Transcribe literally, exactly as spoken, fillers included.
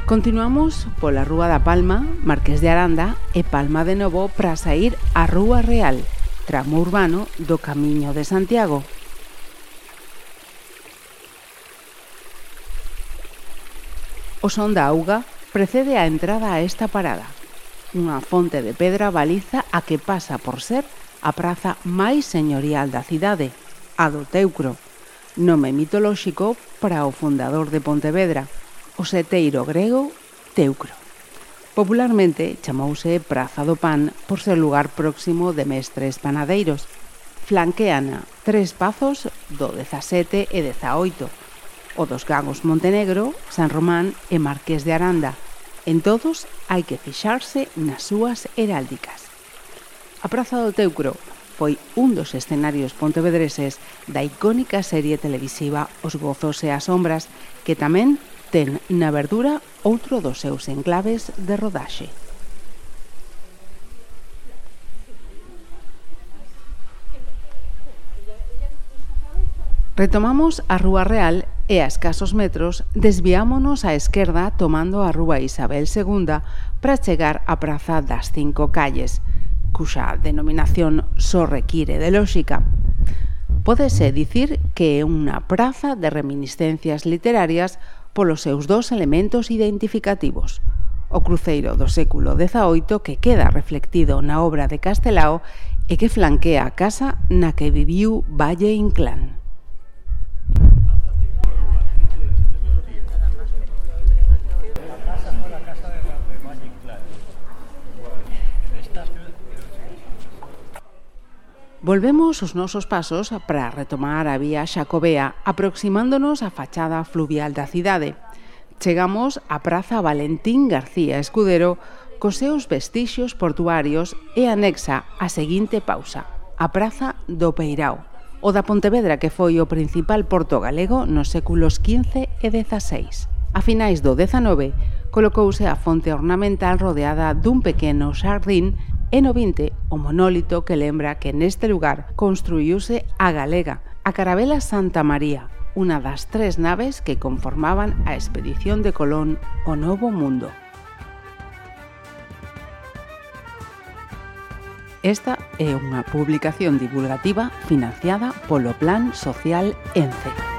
Continuamos pola Rúa da Palma, Marqués de Aranda e Palma de novo para saír á Rúa Real, tramo urbano do Camiño de Santiago. O son da auga precede a entrada a esta parada. Unha fonte de pedra baliza a que pasa por ser a praza máis señorial da cidade, a do Teucro, nome mitolóxico para o fundador de Pontevedra, o seteiro grego Teucro. Popularmente chamouse Praza do Pan por ser lugar próximo de mestres panadeiros. Flanqueana tres pazos do dezasete e dezaoito, o dos Gagos Montenegro, San Román e Marqués de Aranda. En todos hai que fixarse nas súas heráldicas. A Praza do Teucro foi un dos escenarios pontevedreses da icónica serie televisiva Os Gozos e as Sombras, que tamén ten na verdura outro dos seus enclaves de rodaxe. Retomamos a Rúa Real e a escasos metros desviámonos á esquerda tomando a Rúa Isabel segunda para chegar á Praza das Cinco Calles, cuxa denominación só require de lóxica. Pódese dicir que é unha praza de reminiscencias literarias polos seus dous elementos identificativos: o cruceiro do século dezaoito que queda reflectido na obra de Castelao e que flanquea a casa na que viviu Valle Inclán. Volvemos os nosos pasos para retomar a vía xacobea, aproximándonos á fachada fluvial da cidade. Chegamos á Praza Valentín García Escudero cos seus vestixios portuarios e anexa a seguinte pausa, a Praza do Peirao, o da Pontevedra que foi o principal porto galego nos séculos quince e dezaseis. A finais do dezanove colocouse a fonte ornamental rodeada dun pequeno xardín e no vinte o monólito que lembra que neste lugar construíuse a galega, a Carabela Santa María, unha das tres naves que conformaban a expedición de Colón ao Novo Mundo. Esta é unha publicación divulgativa financiada polo Plan Social ENCE.